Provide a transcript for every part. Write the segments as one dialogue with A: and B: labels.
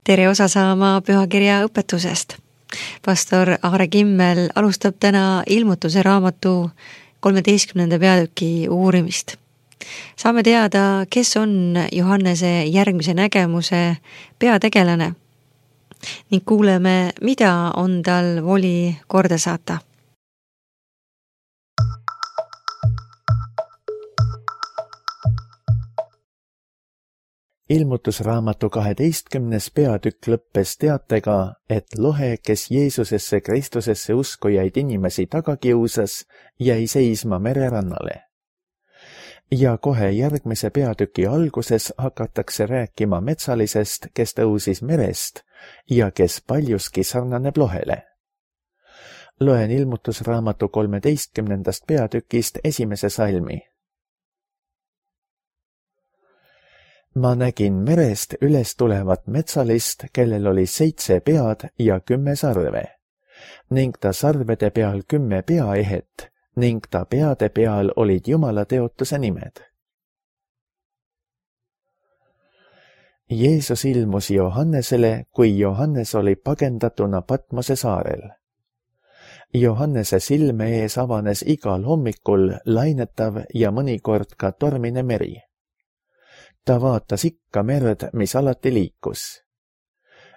A: Tere osa saama pühakirja õpetusest. Pastor Aare Kimmel alustab täna Ilmutuse raamatu 13. peatüki uurimist. Saame teada, kes on Johannese järgmise nägemuse peategelane ning kuuleme, mida on tal voli korda saata.
B: Ilmutusraamatu 12. peatükk lõppes teatega, et lohe, kes Jeesusesse Kristusesse uskujaid inimesi taga kiusas, jäi seisma mererannale. Ja kohe järgmise peatüki alguses hakatakse rääkima metsalisest, kes tõusis merest ja kes paljuski sarnaneb lohele. Loen Ilmutusraamatu 13. peatükist esimese salmi. Ma nägin merest üles tulevat metsalist, kellel oli 7 pead ja 10 sarve, ning ta sarvede peal 10 peaehet, ning ta peade peal olid Jumala teotuse nimed. Jeesus ilmus Johannesele, kui Johannes oli pagendatuna Patmose saarel. Johannese silme ees avanes igal hommikul lainetav ja mõnikord ka tormine meri. Ta vaatas ikka merd, mis alati liikus.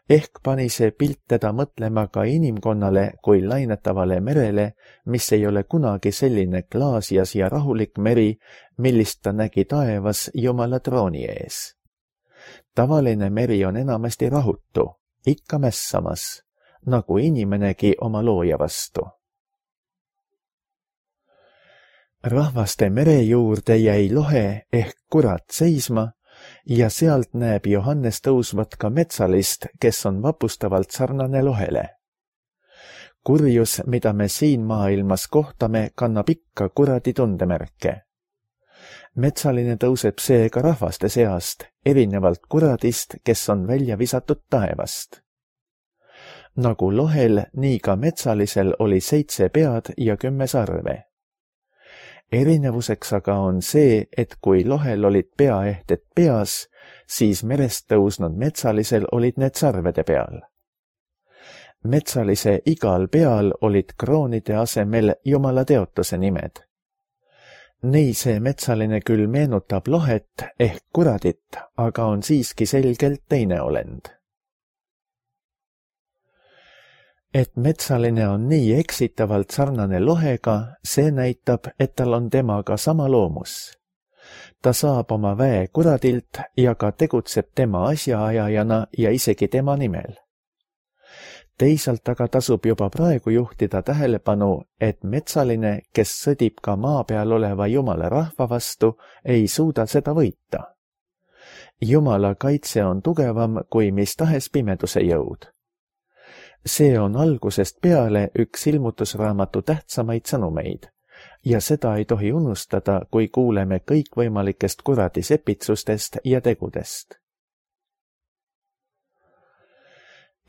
B: Ehk pani see pilt teda mõtlema ka inimkonnale kui lainetavale merele, mis ei ole kunagi selline klaasjas ja rahulik meri, millist ta nägi taevas Jumala trooni ees. Tavaline meri on enamasti rahutu, ikka mässamas, nagu inimenegi oma looja vastu. Rahvaste mere juurde jäi lohe ehk kurat seisma, ja sealt näeb Johannes tõusvat ka metsalist, kes on vapustavalt sarnane lohele. Kurjus, mida me siin maailmas kohtame, kannab ikka kuradi tundemärke. Metsaline tõuseb seega rahvaste seast, erinevalt kuradist, kes on välja visatud taevast. Nagu lohel, nii ka metsalisel oli 7 pead ja 10 sarve. Erinevuseks aga on see, et kui lohel olid peaehted peas, siis merest tõusnud metsalisel olid need sarvede peal. Metsalise igal peal olid kroonide asemel Jumala teotuse nimed. Nii see metsaline küll meenutab lohet ehk kuradit, aga on siiski selgelt teine olend. Et metsaline on nii eksitavalt sarnane lohega, see näitab, et tal on temaga sama loomus. Ta saab oma väe kuradilt ja ka tegutseb tema asjaajajana ja isegi tema nimel. Teisalt aga tasub juba praegu juhtida tähelepanu, et metsaline, kes sõdib ka maa peal oleva Jumala rahva vastu, ei suuda seda võita. Jumala kaitse on tugevam kui mis tahes pimeduse jõud. See on algusest peale üks ilmutusraamatu tähtsamaid sõnumeid ja seda ei tohi unustada, kui kuuleme kõikvõimalikest kuradi sepitsustest ja tegudest.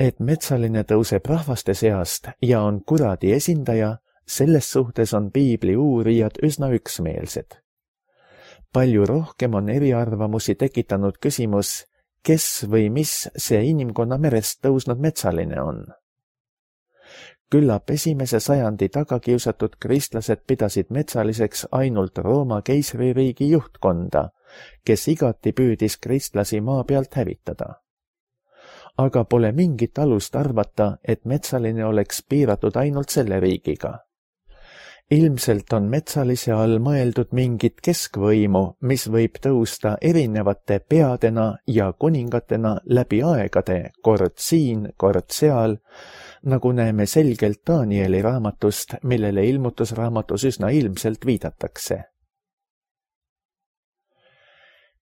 B: Et metsaline tõuseb rahvaste seast ja on kuradi esindaja, selles suhtes on piibli uurijad üsna üksmeelsed. Palju rohkem on eriarvamusi tekitanud küsimus, kes või mis see inimkonna merest tõusnud metsaline on. Küllap 1. sajandi tagakiusatud kristlased pidasid metsaliseks ainult Rooma keisririigi juhtkonda, kes igati püüdis kristlasi maa pealt hävitada. Aga pole mingit alust arvata, et metsaline oleks piiratud ainult selle riigiga. Ilmselt on metsalise all mõeldud mingit keskvõimu, mis võib tõusta erinevate peadena ja kuningatena läbi aegade, kord siin, kord seal, nagu näeme selgelt Danieli raamatust, millele ilmutusraamatus üsna ilmselt viidatakse.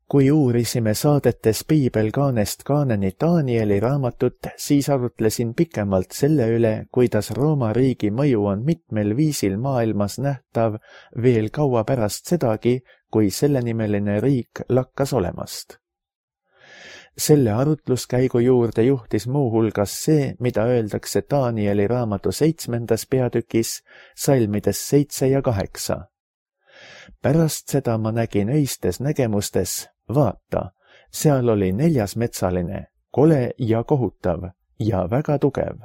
B: Kui uurisime saadetes piibelkaanest kaaneni Danieli raamatut, siis arutlesin pikemalt selle üle, kuidas Rooma riigi mõju on mitmel viisil maailmas nähtav veel kaua pärast sedagi, kui sellenimeline riik lakkas olemast. Selle arutluskäigu juurde juhtis muuhulgas see, mida öeldakse Danieli raamatu 7. peatükis, salmides 7 ja 8. Pärast seda ma nägin öistes nägemustes, vaata, seal oli 4. metsaline, kole ja kohutav ja väga tugev.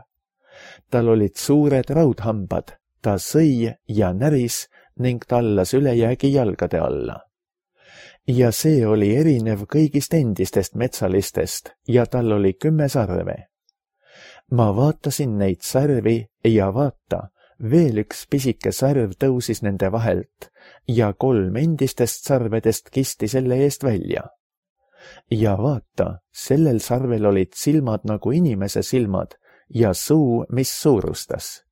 B: Tal olid suured raudhambad, ta sõi ja näris ning tallas ülejäägi jalgade alla. Ja see oli erinev kõigist endistest metsalistest ja tal oli 10 sarve. Ma vaatasin neid sarvi ja vaata, veel üks pisike sarv tõusis nende vahelt ja 3 endistest sarvedest kisti selle eest välja. Ja vaata, sellel sarvel olid silmad nagu inimese silmad ja suu, mis suurustas.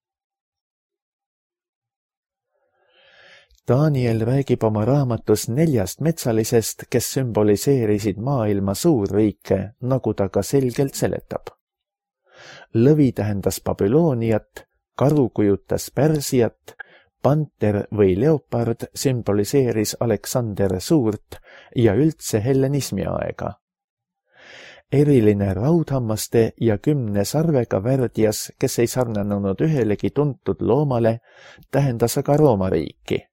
B: Daniel räägib oma raamatus 4 metsalisest, kes sümboliseerisid maailma suurriike, nagu ta ka selgelt seletab. Lõvi tähendas Babyloniat, karu kujutas Pärsiat, panter või leopard sümboliseeris Aleksander Suurt ja üldse hellenismi aega. Eriline raudhammaste ja 10 sarvega värdjas, kes ei sarnanenud ühelegi tuntud loomale, tähendas aga Rooma riiki.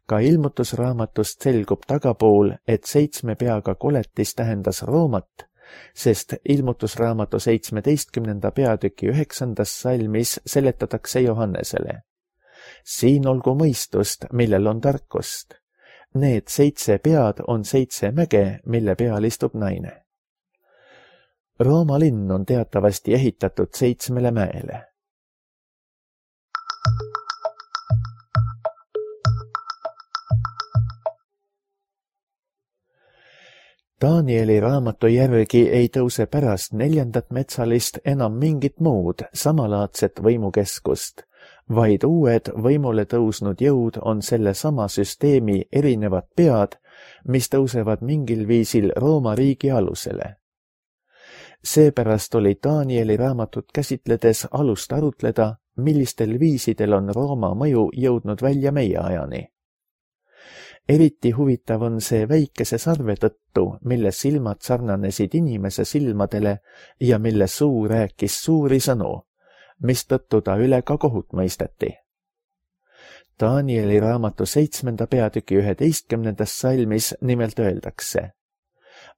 B: Ka ilmutusraamatust selgub tagapool, et 7 peaga koletis tähendas Roomat, sest ilmutusraamatu 17. peatüki 9. salmis seletatakse Johannesele. Siin olgu mõistust, millel on tarkust. Need 7 pead on 7 mäge, mille peal istub naine. Rooma linn on teatavasti ehitatud 7 mäele. Danieli raamatu järgi ei tõuse pärast 4. metsalist enam mingit muud samalaadset võimukeskust, vaid uued võimule tõusnud jõud on selle sama süsteemi erinevad pead, mis tõusevad mingil viisil Rooma riigi alusele. Seepärast oli Danieli raamatut käsitledes alust arutleda, millistel viisidel on Rooma mõju jõudnud välja meie ajani. Eriti huvitav on see väikese sarve tõttu, mille silmad sarnanesid inimese silmadele ja mille suu rääkis suuri sõnu, mistõttu ta üle ka kohut mõisteti. Danieli raamatu 7. peatüki 11. salmis nimelt öeldakse: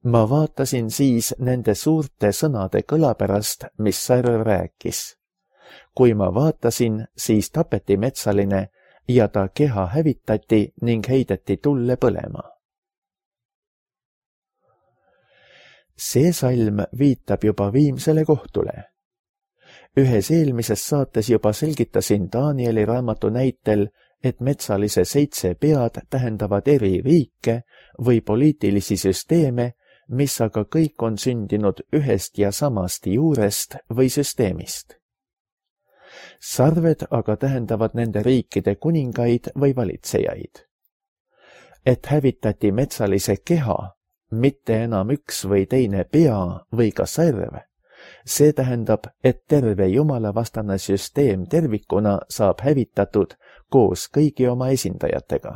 B: Ma vaatasin siis nende suurte sõnade kõla pärast, mis sarv rääkis. Kui ma vaatasin, siis tapeti metsaline ja ta keha hävitati ning heideti tulle põlema. See salm viitab juba viimsele kohtule. Ühes eelmises saates juba selgitasin Danieli raamatu näitel, et metsalise 7 pead tähendavad eri riike või poliitilisi süsteeme, mis aga kõik on sündinud ühest ja samast juurest või süsteemist. Sarved aga tähendavad nende riikide kuningaid või valitsejaid. Et hävitati metsalise keha, mitte enam üks või teine pea või ka sarv, see tähendab, et terve jumalavastane süsteem tervikuna saab hävitatud koos kõigi oma esindajatega.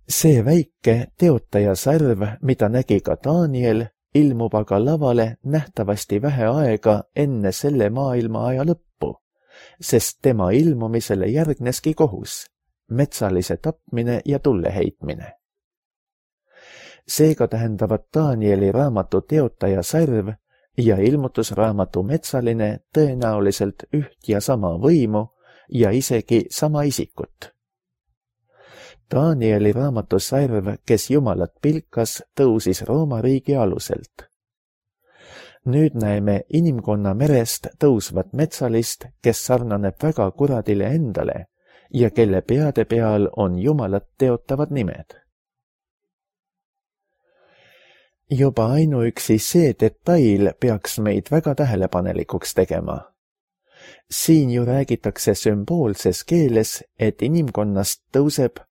B: See väike teotaja sarv, mida nägi ka Daniel, ilmub aga lavale nähtavasti vähe aega enne selle maailma aja lõppu, sest tema ilmumisele järgneski kohus, metsalise tapmine ja tulle heitmine. Seega tähendavad Danieli raamatu teotaja sarv ja ilmutusraamatu metsaline tõenäoliselt üht ja sama võimu ja isegi sama isikut. Danieli raamatu sarv, kes Jumalat pilkas, tõusis Rooma riigi aluselt. Nüüd näeme inimkonna merest tõusvat metsalist, kes sarnaneb väga kuradile endale ja kelle peade peal on Jumalat teotavad nimed. Juba ainuüksi see detail peaks meid väga tähelepanelikuks tegema. Siin ju räägitakse sümboolses keeles, et inimkonnast tõuseb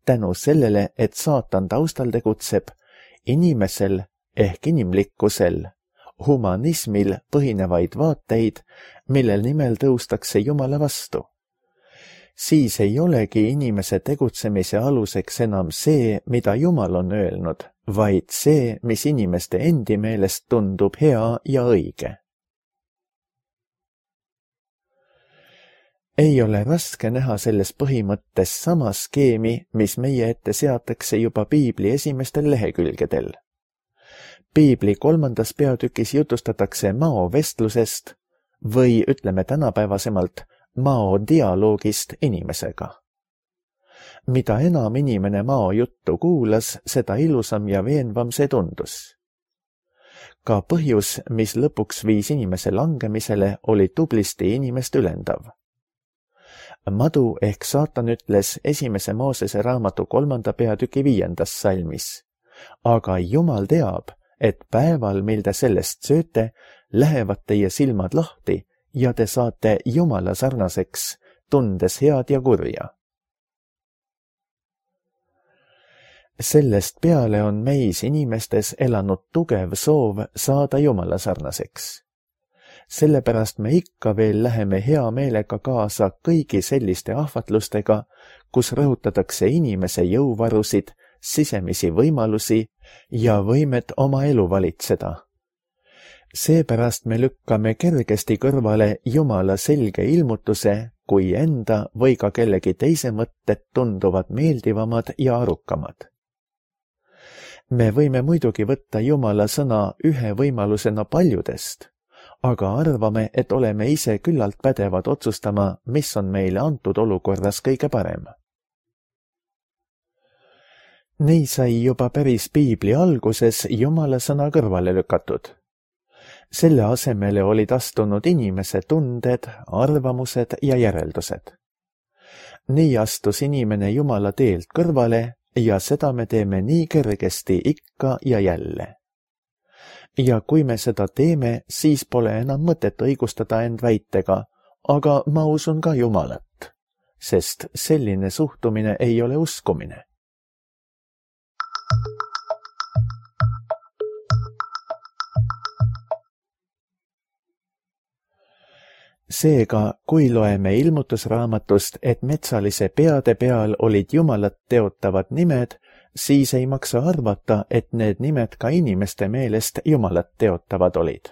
B: tänu sellele, et saatan taustal tegutseb, inimesel ehk inimlikkusel, humanismil põhinevaid vaateid, millel nimel tõustakse Jumala vastu. Siis ei olegi inimese tegutsemise aluseks enam see, mida Jumal on öelnud, vaid see, mis inimeste endi meelest tundub hea ja õige. ei ole raske näha selles põhimõttes sama skeemi, mis meie ette seatakse juba piibli esimestel lehekülgedel. Piibli 3. peatükis jutustatakse maovestlusest või ütleme tänapäevasemalt maodialoogist inimesega. Mida enam inimene mao juttu kuulas, seda ilusam ja veenvam see tundus. Ka põhjus, mis lõpuks viis inimese langemisele, oli tublisti inimest ülendav. Madu ehk saatan ütles 1. Moosese raamatu 3. peatüki 5. salmis. Aga Jumal teab, et päeval, mil te sellest sööte, lähevad teie silmad lahti ja te saate Jumala sarnaseks, tundes head ja kurja. Sellest peale on meis inimestes elanud tugev soov saada Jumala sarnaseks. Sellepärast me ikka veel läheme hea meelega kaasa kõigi selliste ahvatlustega, kus rõhutatakse inimese jõuvarusid, sisemisi võimalusi ja võimet oma elu valitseda. Seepärast me lükkame kergesti kõrvale Jumala selge ilmutuse, kui enda või ka kellegi teise mõtted tunduvad meeldivamad ja arukamad. Me võime muidugi võtta Jumala sõna ühe võimalusena paljudest, aga arvame, et oleme ise küllalt pädevad otsustama, mis on meile antud olukorras kõige parem. Nii sai juba päris piibli alguses Jumala sõna kõrvale lükatud. Selle asemele olid astunud inimese tunded, arvamused ja järeldused. Nii astus inimene Jumala teelt kõrvale ja seda me teeme nii kergesti ikka ja jälle. Ja kui me seda teeme, siis pole enam mõtet õigustada end väitega, aga ma usun ka Jumalat, sest selline suhtumine ei ole uskumine. Seega, kui loeme ilmutusraamatust, et metsalise peade peal olid Jumalat teotavad nimed, siis ei maksa arvata, et need nimed ka inimeste meelest Jumalat teotavad olid.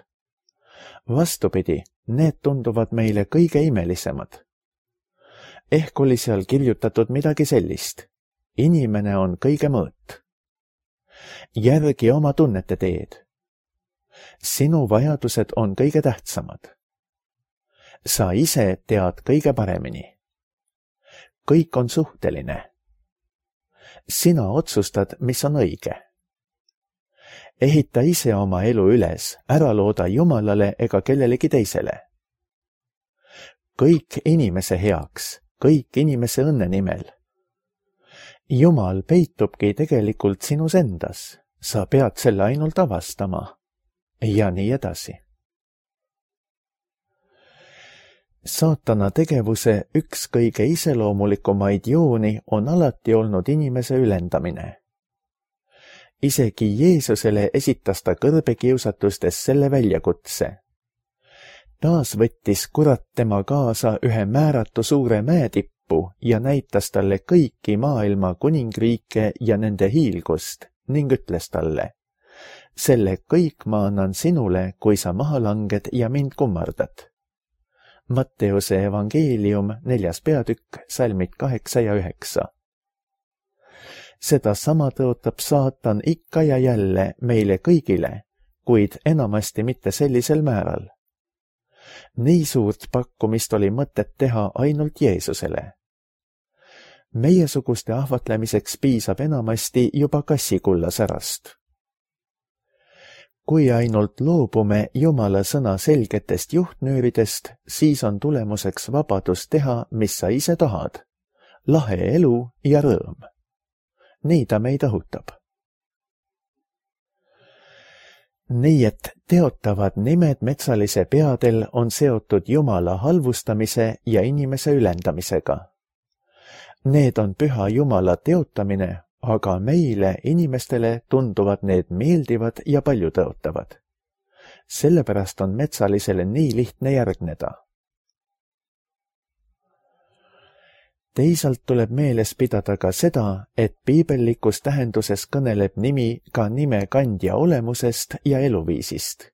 B: Vastupidi, need tunduvad meile kõige imelisemad. Ehk oli seal kirjutatud midagi sellist. Inimene on kõige mõõt. Järgi oma tunnete teed. Sinu vajadused on kõige tähtsamad. Sa ise tead kõige paremini. Kõik on suhteline. Sina otsustad, mis on õige. Ehita ise oma elu üles, ära looda Jumalale ega kellelegi teisele. Kõik inimese heaks, kõik inimese õnne nimel. Jumal peitubki tegelikult sinus endas, sa pead selle ainult avastama. Ja nii edasi. Saatana tegevuse üks kõige iseloomulikumaid jooni on alati olnud inimese ülendamine. Isegi Jeesusele esitas ta kõrbekiusatustes selle väljakutse. Taas võttis kurat tema kaasa ühe määratu suure mäetippu ja näitas talle kõiki maailma kuningriike ja nende hiilgust ning ütles talle, selle kõik ma annan sinule, kui sa maha langed ja mind kummardad. Matteuse evangeelium 4. peatükk, salmid 8 ja 9. Seda sama tõotab saatan ikka ja jälle meile kõigile, kuid enamasti mitte sellisel määral. Nii suurt pakkumist oli mõtet teha ainult Jeesusele. Meiesuguste ahvatlemiseks piisab enamasti juba kassikullasärast. Kui ainult loobume Jumala sõna selgetest juhtnööridest, siis on tulemuseks vabadus teha, mis sa ise tahad. Lahe elu ja rõõm. Nii ta meid õhutab. Nii et teotavad nimed metsalise peadel on seotud Jumala halvustamise ja inimese ülendamisega. Need on püha Jumala teotamine, aga meile, inimestele, tunduvad need meeldivad ja paljutõotavad. Sellepärast on metsalisele nii lihtne järgneda. Teisalt tuleb meeles pidada ka seda, et piibellikus tähenduses kõneleb nimi ka nime kandja olemusest ja eluviisist.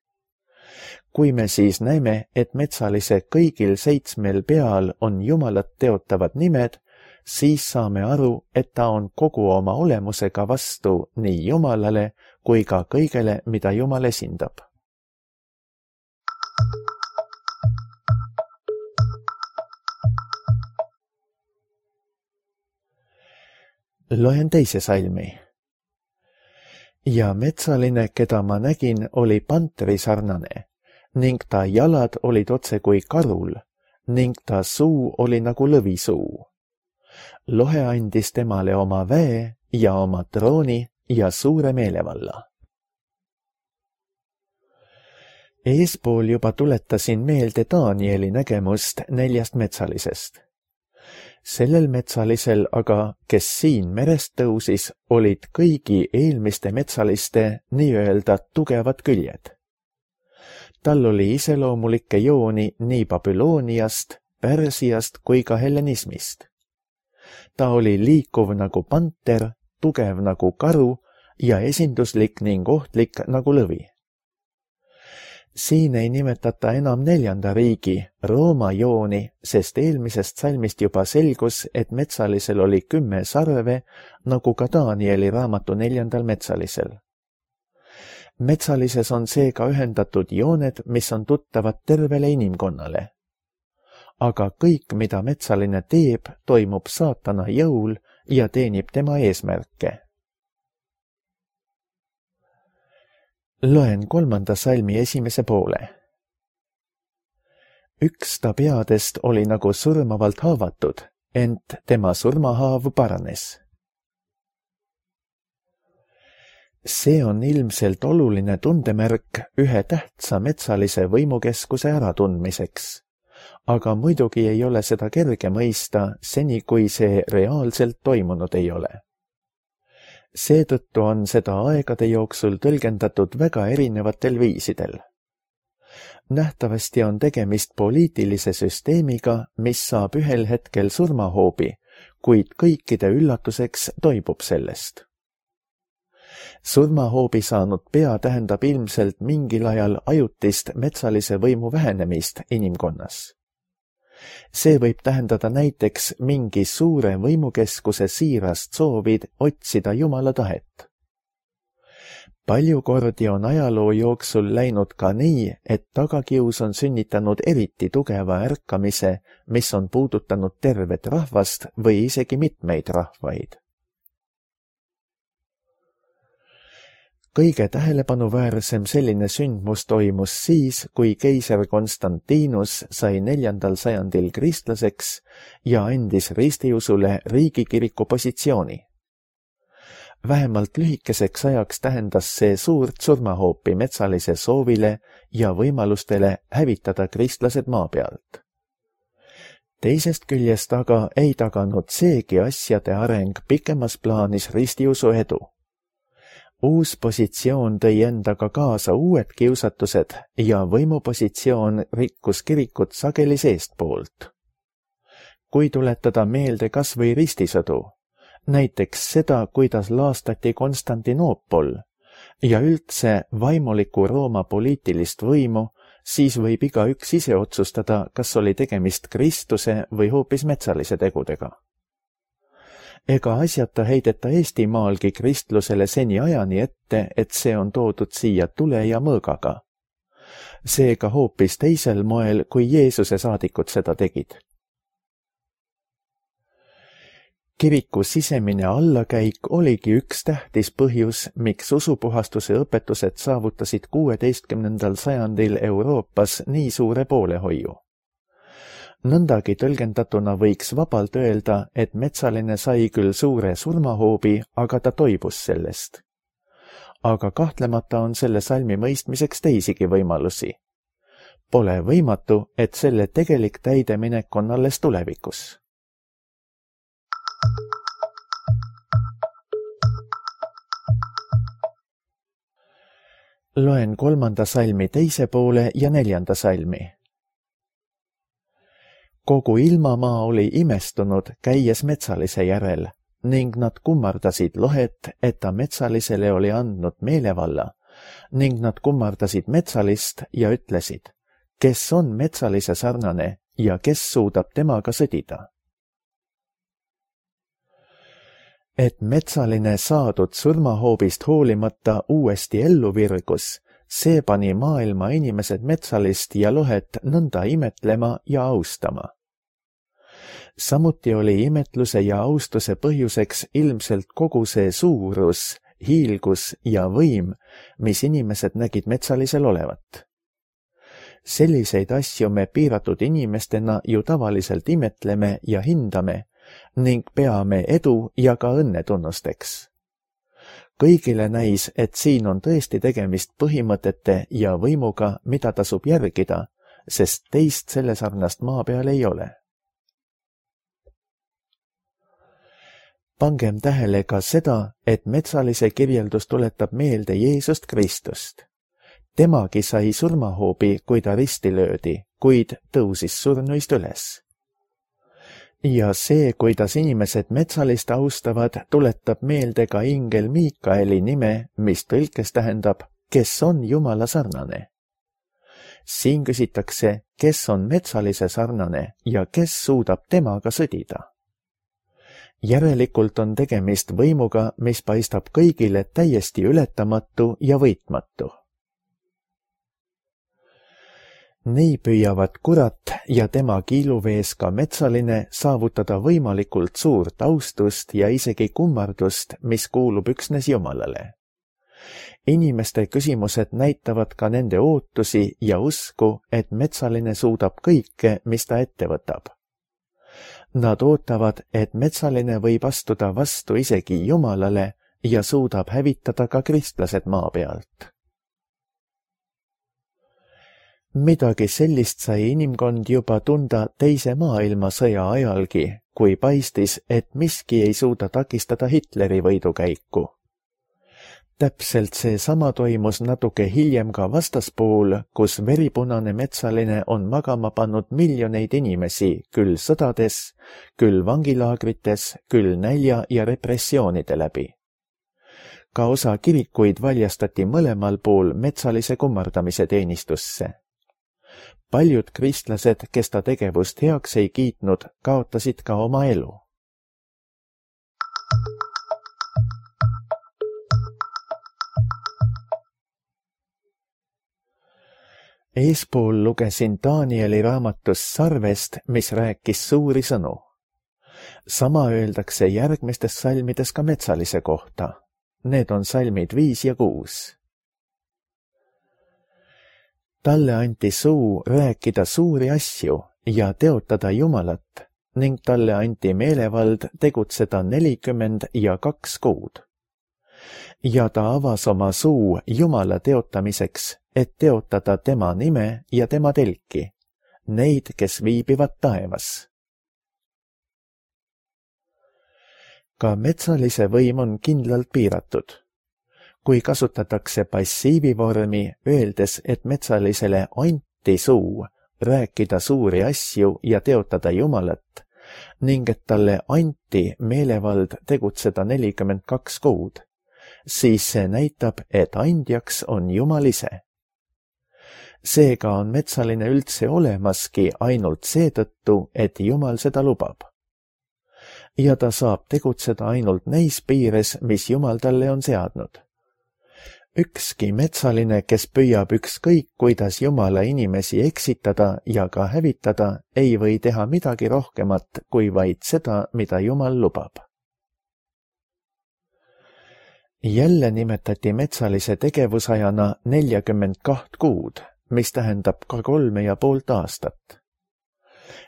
B: Kui me siis näeme, et metsalise kõigil 7 peal on Jumalat teotavad nimed, siis saame aru, et ta on kogu oma olemusega vastu nii Jumalale kui ka kõigele, mida Jumal esindab. Loen teise salmi. Ja metsaline, keda ma nägin, oli panteri sarnane, ning ta jalad olid otse kui karul, ning ta suu oli nagu lõvisuu. Lohe andis temale oma väe ja oma trooni ja suure meelevalla. Eespool juba tuletasin meelde Danieli nägemust 4 metsalisest. Sellel metsalisel aga, kes siin merest tõusis, olid kõigi eelmiste metsaliste nii-öelda tugevad küljed. Tal oli iseloomulikke jooni nii Babyloniast, Pärsiast kui ka hellenismist. Ta oli liikuv nagu panter, tugev nagu karu ja esinduslik ning ohtlik nagu lõvi. Siin ei nimetata enam 4. riigi, Rooma jooni, sest eelmisest salmist juba selgus, et metsalisel oli 10 sarve, nagu ka Danieli raamatu 4. metsalisel. Metsalises on seega ühendatud jooned, mis on tuttavad tervele inimkonnale. Aga kõik, mida metsaline teeb, toimub saatana jõul ja teenib tema eesmärke. Loen 3. salmi 1. poole. Üks ta peadest oli nagu surmavalt haavatud, ent tema surmahaav paranes. See on ilmselt oluline tundemärk ühe tähtsa metsalise võimukeskuse äratundmiseks. Aga muidugi ei ole seda kerge mõista, seni kui see reaalselt toimunud ei ole. Seetõttu on seda aegade jooksul tõlgendatud väga erinevatel viisidel. Nähtavasti on tegemist poliitilise süsteemiga, mis saab ühel hetkel surmahoobi, kuid kõikide üllatuseks toibub sellest. Surmahoobi saanud pea tähendab ilmselt mingil ajal ajutist metsalise võimu vähenemist inimkonnas. See võib tähendada näiteks mingi suure võimukeskuse siirast soovid otsida Jumala tahet. Palju kordi on ajaloo jooksul läinud ka nii, et tagakius on sünnitanud eriti tugeva ärkamise, mis on puudutanud tervet rahvast või isegi mitmeid rahvaid. Kõige tähelepanuväärsem selline sündmus toimus siis, kui keiser Konstantinus sai 4. sajandil kristlaseks ja andis ristiusule riigikiriku positsiooni. Vähemalt lühikeseks ajaks tähendas see suurt surmahoopi metsalise soovile ja võimalustele hävitada kristlased maa pealt. Teisest küljest aga ei taganud seegi asjade areng pikemas plaanis ristiusu edu. Uus positsioon tõi endaga kaasa uued kiusatused ja võimupositsioon rikkus kirikut sageli seestpoolt. Kui tuletada meelde kas või ristisõdu, näiteks seda, kuidas laastati Konstantinoopol ja üldse vaimuliku Rooma poliitilist võimu, siis võib igaüks ise otsustada, kas oli tegemist Kristuse või hoopis metsalise tegudega. Ega asjata heideta Eestimaalgi kristlusele seni ajani ette, et see on toodud siia tule ja mõõgaga. Seega hoopis teisel moel, kui Jeesuse saadikud seda tegid. Kiriku sisemine allakäik oligi üks tähtis põhjus, miks usupuhastuse õpetused saavutasid 16. sajandil Euroopas nii suure poolehoiu. Nõndagi tõlgendatuna võiks vabalt öelda, et metsaline sai küll suure surmahoobi, aga ta toibus sellest. Aga kahtlemata on selle salmi mõistmiseks teisigi võimalusi. Pole võimatu, et selle tegelik täideminek on alles tulevikus. Loen 3. salmi 2. poole ja 4. salmi. Kogu ilmamaa oli imestunud, käies metsalise järel, ning nad kummardasid lohet, et ta metsalisele oli andnud meelevalla ning nad kummardasid metsalist ja ütlesid, kes on metsalise sarnane ja kes suudab temaga sõdida. Et metsaline saadud surmahoobist hoolimata uuesti ellu virgus, see pani maailma inimesed metsalist ja lohet nõnda imetlema ja austama. Samuti oli imetluse ja austuse põhjuseks ilmselt kogu see suurus, hiilgus ja võim, mis inimesed nägid metsalisel olevat. Selliseid asju me piiratud inimestena ju tavaliselt imetleme ja hindame ning peame edu ja ka õnnetunnusteks. Kõigile näis, et siin on tõesti tegemist põhimõtete ja võimuga, mida tasub järgida, sest teist selle sarnast maa peal ei ole. Pangem tähele ka seda, et metsalise kirjeldus tuletab meelde Jeesust Kristust. Temagi sai surmahoobi, kui ta risti löödi, kuid tõusis surnuist üles. Ja see, kuidas inimesed metsalist austavad, tuletab meelde ka ingel Miikaeli nime, mis tõlkes tähendab, kes on Jumala sarnane. Siin küsitakse, kes on metsalise sarnane ja kes suudab temaga sõdida. Järelikult on tegemist võimuga, mis paistab kõigile täiesti ületamatu ja võitmatu. Nii püüavad kurat ja tema kiiluvees ka metsaline saavutada võimalikult suurt austust ja isegi kummardust, mis kuulub üksnes Jumalale. Inimeste küsimused näitavad ka nende ootusi ja usku, et metsaline suudab kõike, mis ta ette võtab. Nad ootavad, et metsaline võib astuda vastu isegi Jumalale ja suudab hävitada ka kristlased maa pealt. Midagi sellist sai inimkond juba tunda teise maailmasõja ajalgi, kui paistis, et miski ei suuda takistada Hitleri võidukäiku. Täpselt seesama toimus natuke hiljem ka vastaspool, kus veripunane metsaline on magama pannud miljoneid inimesi, küll sõdades, küll vangilaagrites, küll nälja ja repressioonide läbi. Ka osa kirikuid valjastati mõlemal pool metsalise kummardamise teenistusse. Paljud kristlased, kes ta tegevust heaks ei kiitnud, kaotasid ka oma elu. Eespool lugesin Danieli raamatust sarvest, mis rääkis suuri sõnu. Sama öeldakse järgmistes salmides ka metsalise kohta. Need on salmid 5 ja 6. Talle anti suu rääkida suuri asju ja teotada Jumalat ning talle anti meelevald tegutseda 42 kuud. Ja ta avas oma suu Jumala teotamiseks, et teotada tema nime ja tema telki, neid, kes viibivad taevas. Ka metsalise võim on kindlalt piiratud. Kui kasutatakse passiivivormi, öeldes, et metsalisele anti suu rääkida suuri asju ja teotada Jumalat, ning et talle anti meelevald tegutseda 42 kuud, siis see näitab, et andjaks on Jumal ise. Seega on metsaline üldse olemaski ainult seetõttu, et Jumal seda lubab. Ja ta saab tegutseda ainult neis piires, mis Jumal talle on seadnud. Ükski metsaline, kes püüab ükskõik, kuidas Jumala inimesi eksitada ja ka hävitada, ei või teha midagi rohkemat kui vaid seda, mida Jumal lubab. Jälle nimetati metsalise tegevusajana 42 kuud, mis tähendab ka 3,5 aastat.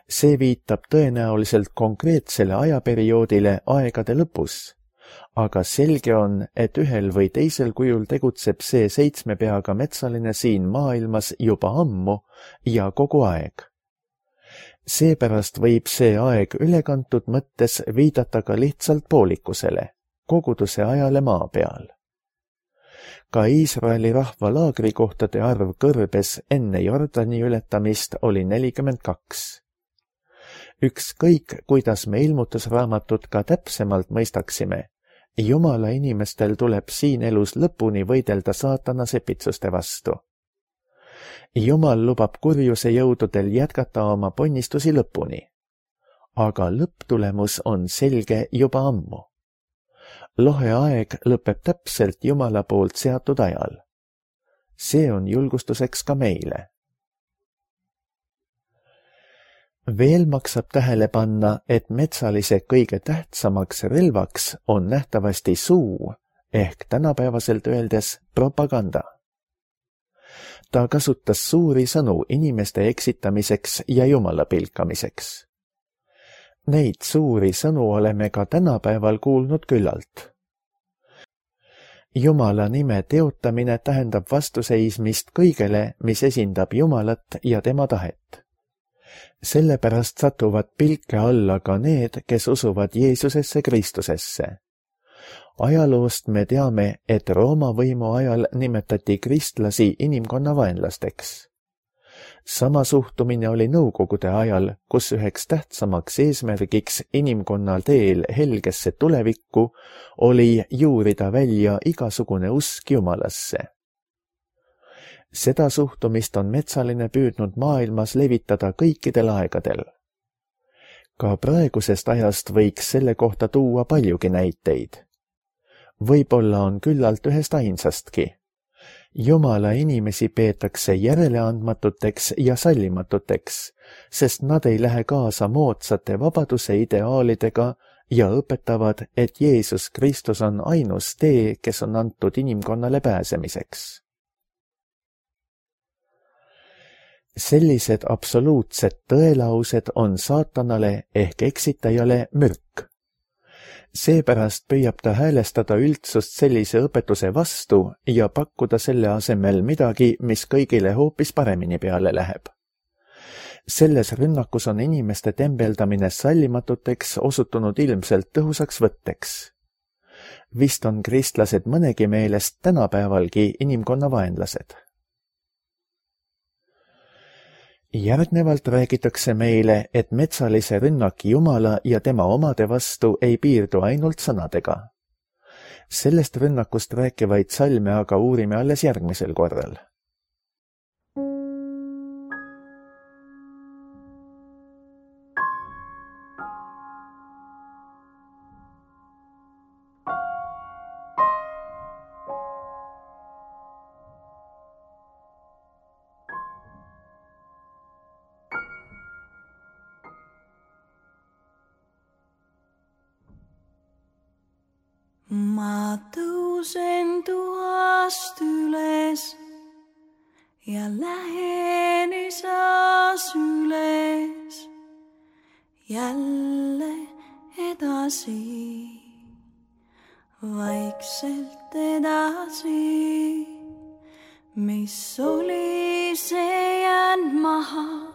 B: See viitab tõenäoliselt konkreetsele ajaperioodile aegade lõpus, aga selge on, et ühel või teisel kujul tegutseb see 7 peaga metsaline siin maailmas juba ammu ja kogu aeg. Seepärast võib see aeg ülekantud mõttes viidata ka lihtsalt poolikusele, koguduse ajale maa peal. Ka Iisraeli rahva laagrikohtade arv kõrbes enne Jordani ületamist oli 42. Ükskõik, kuidas me ilmutusraamatut ka täpsemalt mõistaksime, Jumala inimestel tuleb siin elus lõpuni võidelda saatana sepitsuste vastu. Jumal lubab kurjuse jõududel jätkata oma ponnistusi lõpuni. Aga lõpptulemus on selge juba ammu. Lohe aeg lõpeb täpselt Jumala poolt seatud ajal. See on julgustuseks ka meile. Veel maksab tähele panna, et metsalise kõige tähtsamaks relvaks on nähtavasti suu ehk tänapäevaselt öeldes propaganda. Ta kasutas suuri sõnu inimeste eksitamiseks ja Jumala pilkamiseks. Neid suuri sõnu oleme ka tänapäeval kuulnud küllalt. Jumala nime teotamine tähendab vastuseismist kõigele, mis esindab Jumalat ja tema tahet. Sellepärast satuvad pilke alla ka need, kes usuvad Jeesusesse Kristusesse. Ajaloost me teame, et Rooma võimu ajal nimetati kristlasi inimkonna vaenlasteks. Sama suhtumine oli nõukogude ajal, kus üheks tähtsamaks eesmärgiks inimkonna teel helgesse tulevikku oli juurida välja igasugune usk Jumalasse. Seda suhtumist on metsaline püüdnud maailmas levitada kõikidel aegadel. Ka praegusest ajast võiks selle kohta tuua paljugi näiteid. Võib-olla on küllalt ühest ainsastki. Jumala inimesi peetakse järeleandmatuteks ja sallimatuteks, sest nad ei lähe kaasa moodsate vabaduse ideaalidega ja õpetavad, et Jeesus Kristus on ainus tee, kes on antud inimkonnale pääsemiseks. Sellised absoluutsed tõelaused on saatanale ehk eksitajale mürk. Seepärast püüab ta häälestada üldsust sellise õpetuse vastu ja pakkuda selle asemel midagi, mis kõigile hoopis paremini peale läheb. Selles rünnakus on inimeste tembeldamine sallimatuteks osutunud ilmselt tõhusaks võtteks. Vist on kristlased mõnegi meelest tänapäevalgi inimkonna vaenlased. Järgnevalt räägitakse meile, et metsalise rünnak Jumala ja tema omade vastu ei piirdu ainult sõnadega. Sellest rünnakust rääkivaid salme aga uurime alles järgmisel korral.
C: Ma tõusen tuhast üles ja lähen isas üles jälle edasi, vaikselt edasi, mis oli see jäänud maha.